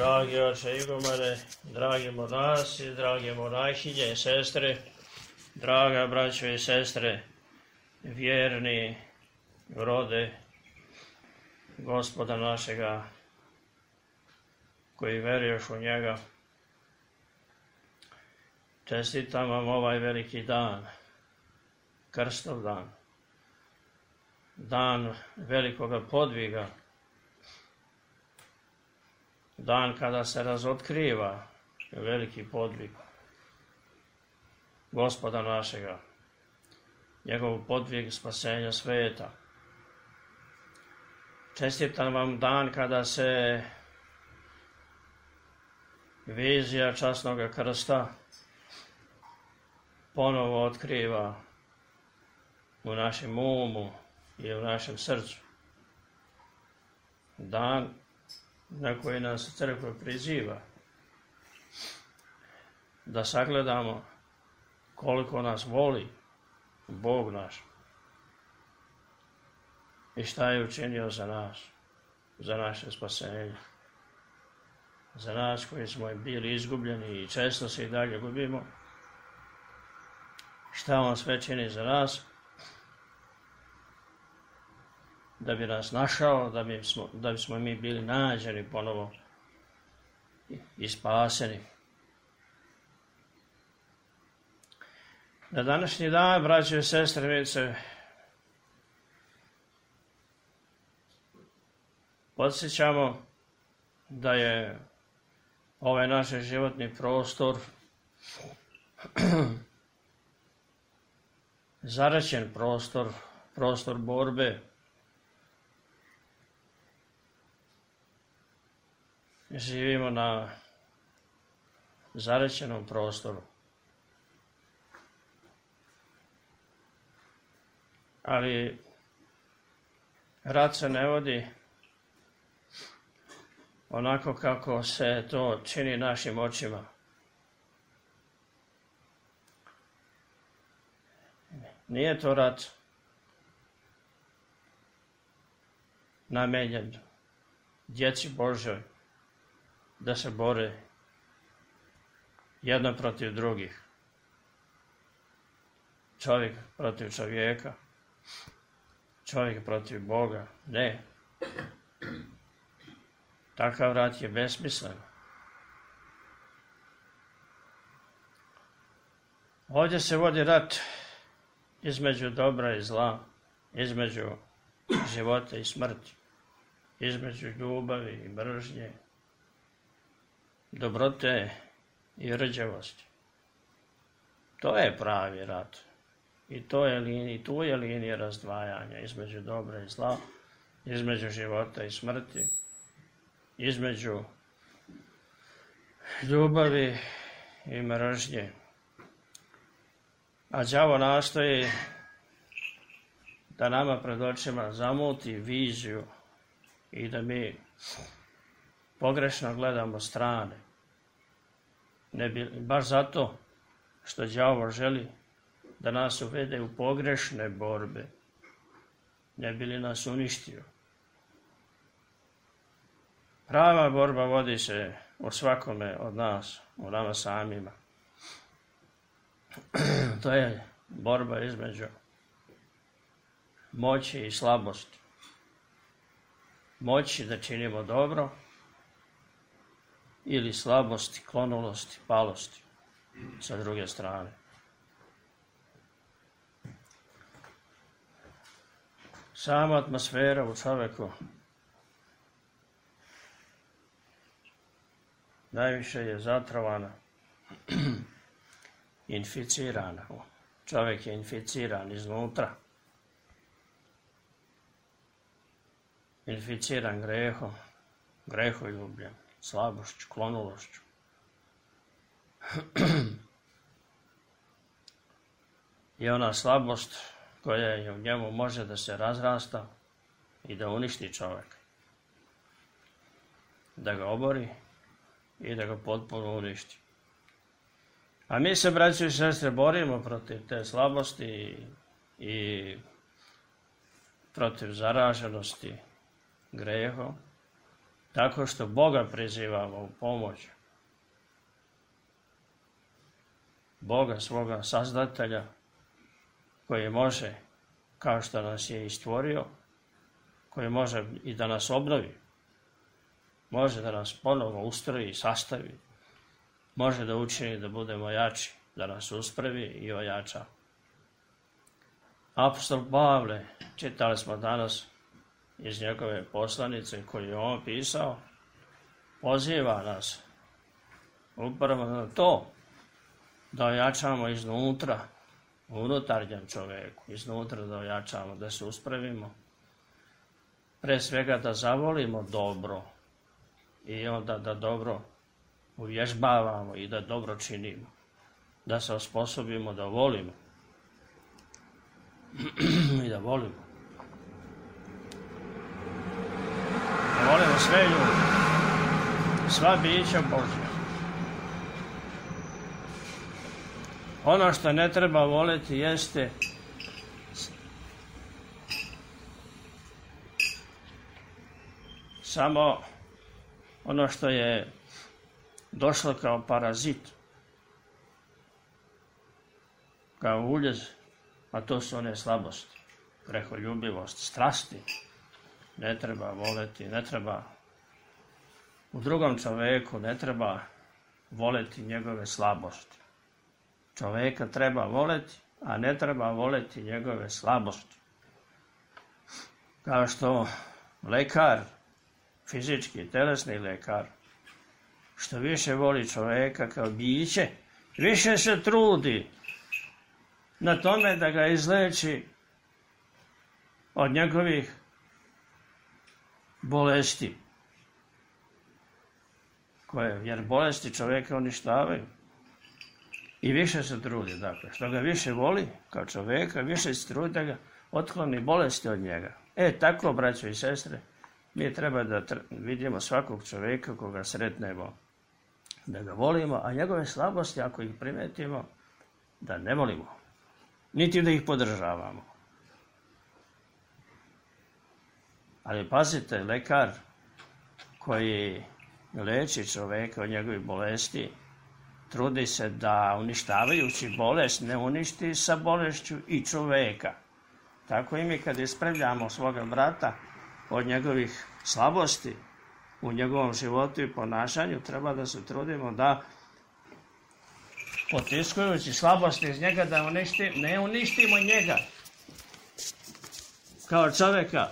Dragi oče Igumane, dragi monasi, dragi monahinje i sestre, draga braćo i sestre, vjerni rode Gospoda našega, koji veruješ u njega, čestitam vam ovaj veliki dan, krstov dan, dan velikoga podviga, dan kada se razotkriva veliki podvig Gospoda našega, njegov podvig spasenja sveta. Čestitam vam dan kada se vizija časnog krsta ponovo otkriva u našem umu i u našem srcu. Dan na koji nas crkva priziva da sagledamo koliko nas voli Bog naš i šta je učinio za nas, za naše spasenje, za nas koji smo bili izgubljeni i često se i dalje gubimo, šta on sve čini za nas, da bi nas našao, da bismo mi bili nađeni ponovo i spaseni. Na današnji dan, braćo i sestre, mi se podsjećamo da je ovaj naš životni prostor zaraćen prostor borbe. Živimo na zaraćenom prostoru. Ali rat se ne vodi onako kako se to čini našim očima. Nije to rat namenjen djeci Božjoj da se bore jedno protiv drugih. Čovjek protiv čovjeka, čovjek protiv Boga. Ne. Takav rat je besmislen. Ovdje se vodi rat između dobra i zla, između života i smrti, između ljubavi i mržnje, dobrote i rđavosti. To je pravi rat. I tu je linija razdvajanja između dobra i zla, između života i smrti, između ljubavi i mržnje. A đavo nastoji da nama pred očima zamuti viziju i da mi pogrešno gledamo strane. Baš zato što đavo želi da nas uvede u pogrešne borbe, ne bi li nas uništio. Prava borba vodi se u svakome od nas, u nama samima. To je borba između moći i slabosti. Moći da činimo dobro ili slabosti, klonulosti, palosti sa druge strane. Sama atmosfera u čoveku najviše je zatrovana, inficirana. Čovjek je inficiran iznutra. Inficiran grehom, greholjubljem, slabošću, klonulošću. I ona slabost koja je u njemu može da se razrasta i da uništi čovjeka. Da ga obori i da ga potpuno uništi. A mi se, braćo i sestre, borimo protiv te slabosti i protiv zaraženosti grehom tako što Boga prizivamo u pomoć. Boga, svoga sazdatelja, koji može, kao što nas je i stvorio, koji može i da nas obnovi, može da nas ponovo ustroji i sastavi, može da učini da budemo jači, da nas uspravi i ojača. Apostol Pavle, čitali smo danas iz njegove poslanice koju je on pisao, poziva nas upravo na to da ojačamo iznutra, u unutarnjem čoveku, iznutra da ojačamo, da se uspravimo. Pre svega da zavolimo dobro i onda da dobro uvježbavamo i da dobro činimo. Da se osposobimo da volimo i da volimo. Da volimo sve ljude, sva bića Božja. Ono što ne treba voliti jeste samo ono što je došlo kao parazit, kao uljez, a to su one slabosti, greholjubivost, strasti. Ne treba voleti, ne treba u drugom čoveku, ne treba voleti njegove slabosti. Čoveka treba voleti, a ne treba voleti njegove slabosti. Kao što lekar, fizički, telesni lekar, što više voli čoveka kao biće, više se trudi na tome da ga izleči od njegovih bolesti. Jer bolesti čoveka uništavaju. I više se trudi, dakle, što ga više voli kao čoveka, više se trudi da ga otkloni bolesti od njega. Tako, braćo i sestre, mi treba da vidimo svakog čoveka koga sretnemo, da ga volimo, a njegove slabosti, ako ih primetimo, da ne volimo, niti da ih podržavamo. Ali pazite, lekar koji leči čoveka od njegovih bolesti, trudi se da uništavajući bolest ne uništi sa bolešću i čoveka. Tako i mi kad ispravljamo svoga brata od njegovih slabosti u njegovom životu i ponašanju, treba da se trudimo da potiskujući slabosti iz njega da ne uništimo njega kao čoveka.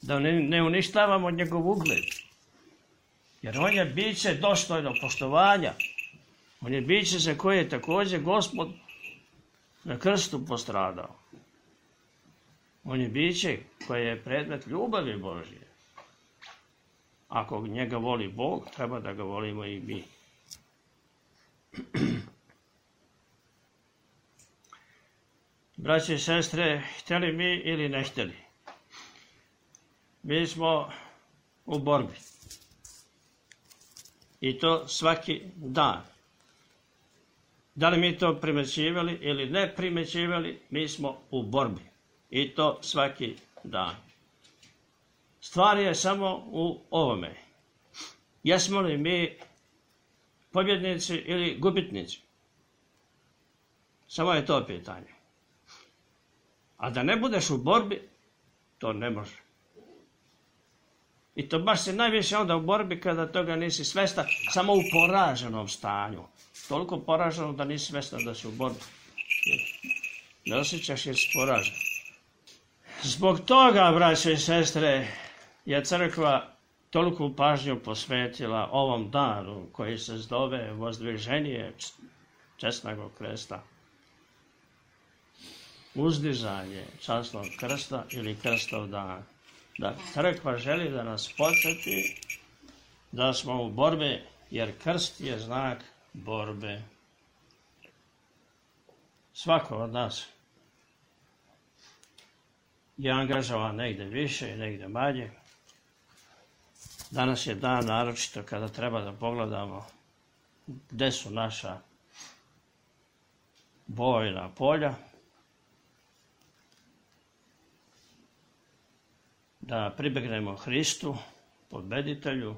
Da ne uništavamo njegov ugled. Jer on je biće dostojno poštovanja. On je biće za koje je također Gospod na krstu postradao. On je biće koje je predmet ljubavi Božje. Ako njega voli Bog, treba da ga volimo i mi. Braće i sestre, htjeli mi ili ne htjeli, mi smo u borbi. I to svaki dan. Da li mi to primećivali ili ne primećivali, mi smo u borbi. I to svaki dan. Stvar je samo u ovome. Jesmo li mi pobjednici ili gubitnici? Samo je to pitanje. A da ne budeš u borbi, to ne može. I to baš se najviše onda u borbi kada toga nisi svestan, samo u poraženom stanju. Toliko poraženo da nisi svestan da si u borbi. Ne osjećaš jer si poražen. Zbog toga, braće i sestre, je crkva toliku pažnju posvetila ovom danu koji se zove Vozdviženje česnog krsta. Uzdizanje časnog krsta ili krstov dan. Da crkva želi da nas podsjeti da smo u borbi, jer krst je znak borbe. Svako od nas je angažovan negdje više i negdje manje. Danas je dan naročito kada treba da pogledamo gdje su naša bojna polja. da pribegnemo Hristu, pobeditelju,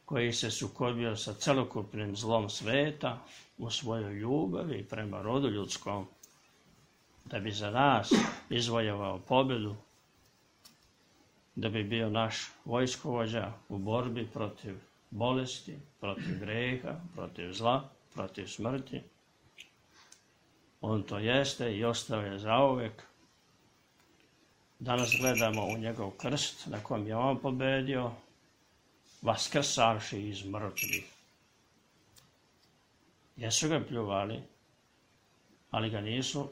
koji se sukobio sa celokupnim zlom sveta u svojoj ljubavi prema rodu ljudskom, da bi za nas izvojevao pobjedu, da bi bio naš vojskovođa u borbi protiv bolesti, protiv greha, protiv zla, protiv smrti. On to jeste i ostao je zauvek. Danas gledamo u njegov krst na kojem je on pobedio, vaskrsavši iz mrtvih. Jesu ga pljuvali, ali ga nisu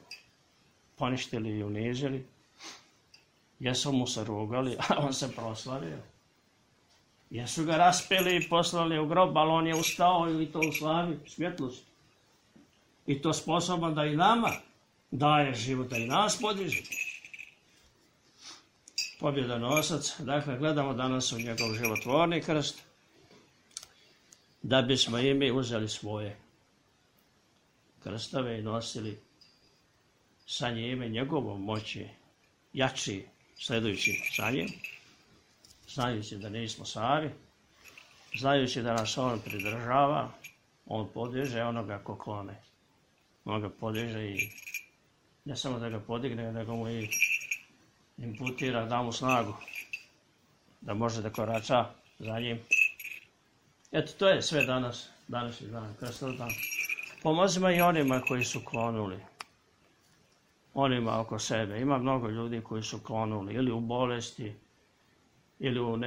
poništili i unizili. Jesu mu se rugali, a on se proslavio. Jesu ga raspeli i poslali u grob, ali on je ustao i to u slavi, svjetlosti. I to sposoban da i nama daje život, da i nas podiže. Pobjedonosac, dakle, gledamo danas u njegov životvorni krst, da bismo i mi uzeli svoje krstove i nosili sa njime njegovom moći, jači, sledujući za njim, znajući da nismo sami, znajući da nas on pridržava, on podiže onoga ko klone. On ga podiže i ne samo da ga podigne, nego mu i imputira, da mu snagu, da može da korača za njim. Eto, to je sve danas, današnji dan, krstov dan. Pomozimo i onima koji su klonuli, onima oko sebe. Ima mnogo ljudi koji su klonuli ili u bolesti, ili u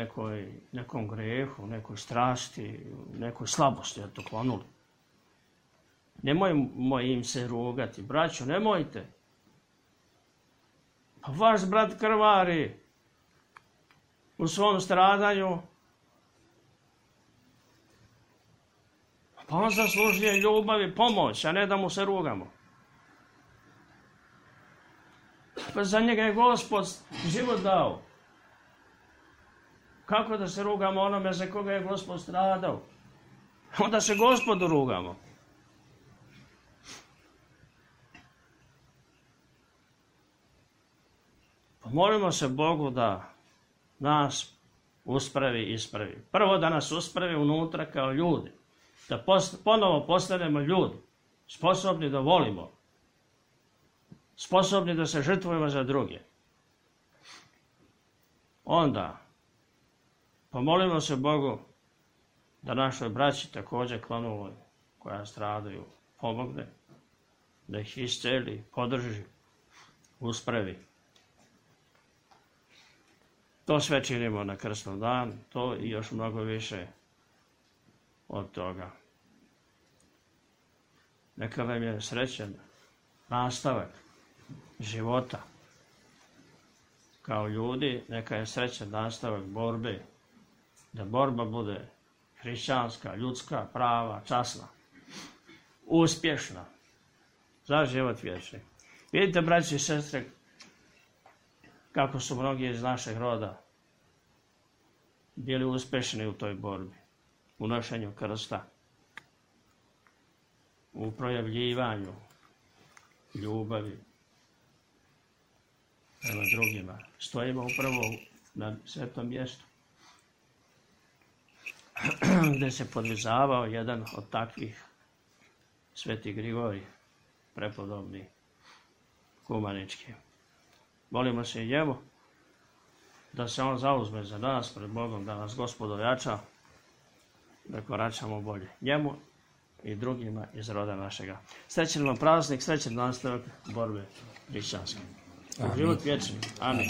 nekom grehu, nekoj strasti, nekoj slabosti, eto, klonuli. Nemojmo im se rugati, braćo, nemojte. Pa vaš brat krvari u svom stradanju, pa on zaslužuje ljubav i pomoć, a ne da mu se rugamo. Pa za njega je Gospod život dao. Kako da se rugamo onome za koga je Gospod stradao? Onda se Gospodu rugamo. Molimo se Bogu da nas uspravi i ispravi. Prvo da nas uspravi unutra kao ljudi. Da ponovo postanemo ljudi. Sposobni da volimo. Sposobni da se žrtvujemo za druge. Onda pomolimo se Bogu da našoj braći također klonuloj koja stradaju pomogne. Da ih isceli, podrži, uspravi. To sve činimo na krstnom dan, to i još mnogo više od toga. Neka vam je srećan nastavak života kao ljudi, neka je srećan nastavak borbe, da borba bude hrišćanska, ljudska, prava, časna, uspješna, za život vječni. Vidite, braći i sestre, kako su mnogi iz našeg roda bili uspješni u toj borbi, u nošenju krsta, u projavljivanju ljubavi prema drugima. Stojimo upravo na svetom mjestu gdje se podvizavao jedan od takvih, Sveti Grigorij, prepodobni kumanički. Molimo se i njemu da se on zauzme za nas pred Bogom, da nas Gospod ojača, da koračamo bolje njemu i drugima iz roda našega. Srećan vam praznik, srećan nastavak borbe hrišćanske. Život vječni. Amin.